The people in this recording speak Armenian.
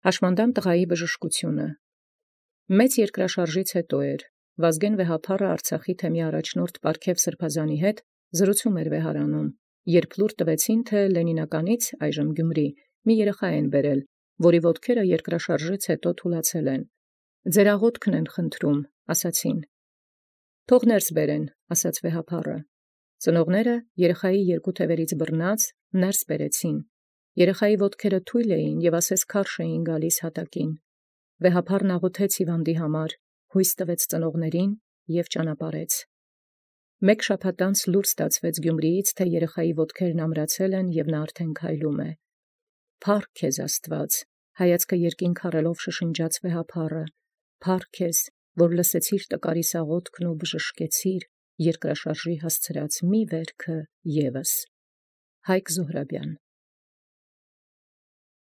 Հաշմանդամ տղայի բժշկությունը։ Մեծ երկրաշարժից հետո Վազգեն Վեհափառը Արցախի թեմի առաջնորդ Պարքև Սրբազանի հետ զրուցում վեհարանում, երբ լուր տվեցին, թե Լենինականից այժմ Գյումրի մի երեխա են բերել, որի ոտքերը երկրաշարժից հետո թուլացել են։ Ձեր աղոթքն են խնդրում, ասացին։ Թող ներս բերեն, ասաց Վեհափառը։ Ծնողները երեխայի երկու թևերից բռնած ներս բերեցին։ Երեխայի ոտքերը թույլ էին և ասես քարշ էին գալիս հատակին։ Վեհափառն աղոթեց հիվանդի համար, հույս տվեց ծնողներին և ճանապարհեց։ Մեկ շաբաթ անց լուր ստացվեց Գյումրիից, թե երեխայի ոտքերն ամրացել են և նա արդեն քայլում է։ Փառք քեզ Աստված, հայացքը երկինք առելով շշնջաց Վեհափառը, փառք քեզ, որ լսեցիր տկարիս աղոթքն ու բժշկեցիր երկրաշարժի հասցրած մի վերքը ևս։ Հայկ Զոհրաբյան։